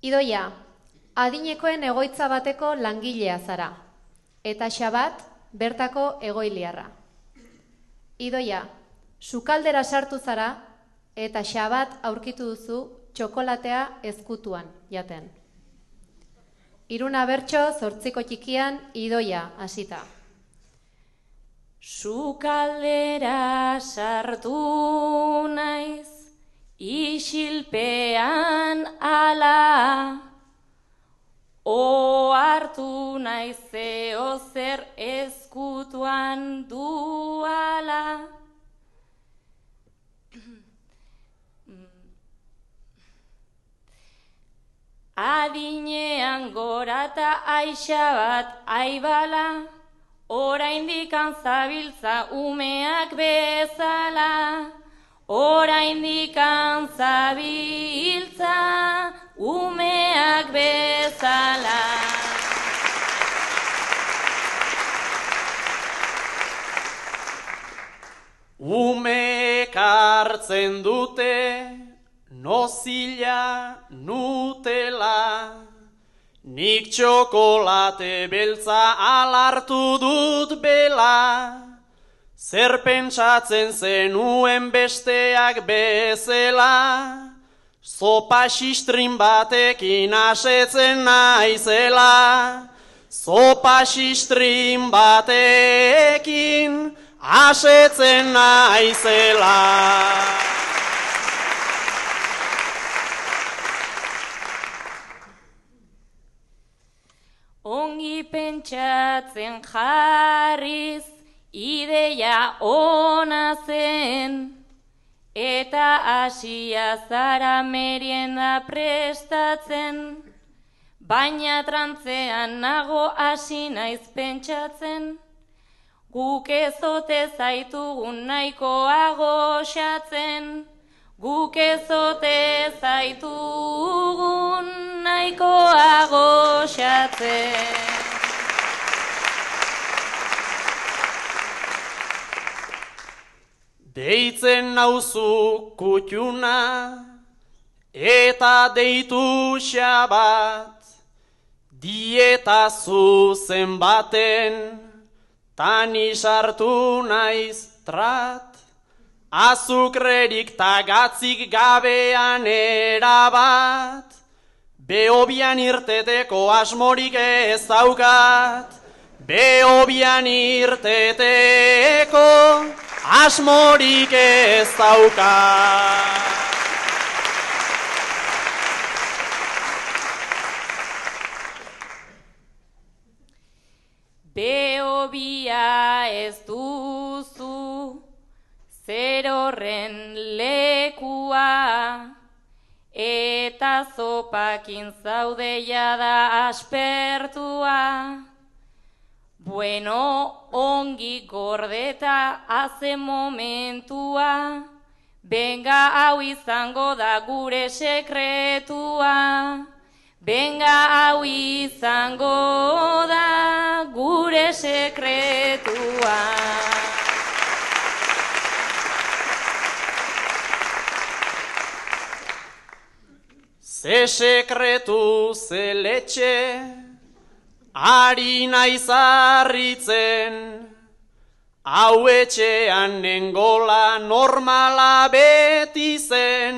Idoia, adinekoen egoitza bateko langilea zara, eta Xabat bertako egoiliarra. Idoia, sukaldera sartu zara, eta Xabat aurkitu duzu txokolatea ezkutuan jaten. Iruna bertso, 8 txikian, Idoia hasita. Sukaldera sartu naiz, isilpean ala, ohartu naiz zeo zer ezkutuan duala. Adinean gorata Xabat aibala, oraindik zabiltza umeak bezala. Oraindik zabiltza umeak bezala. Umeek hartzen dute nozila Nutella, nik txokolate beltza alartu dut bela. Zer pentsatzen zenuen besteak bezala, zopa xistrin batekin asetzen naizela. Zopa xistrin batekin asetzen naizela. Ongi pentsatzen jarriz, ideia ona zen, eta hasia zara merienda prestatzen, baina trantzean nago hasi naiz pentsatzen, guk ez ote zaitugun nahikoago xatzen, guk ez ote zaitugun nahikoago xatzen. Deitzen nauzu kutxuna, eta deitu Xabat, dieta zuzen baten, tani sartu naiz trat, azukrerik tagatzik gabean erabat, behobian irteteko asmorik ez daukat, behobian irteteko asmorik ez daukat. Behobia ez duzu, zer horren lekua, eta zopakin zaude jada aspertua. Bueno, ongi gordeta haze momentua, benga hau izango da gure sekretua. Benga hau izango da gure sekretua. Ze sekretu ze letxe, ari naiz harritzen, hau etxean nengola normala beti zen.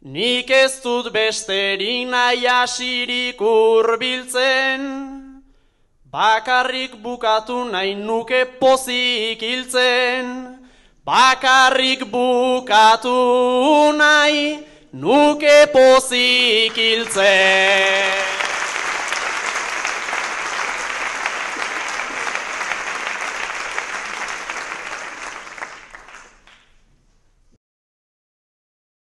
Nik ez dut besterik nahi asirik hurbiltzen, bakarrik bukatu nahi nuke pozik hiltzen. Bakarrik bukatu nahi nuke pozik hiltzen.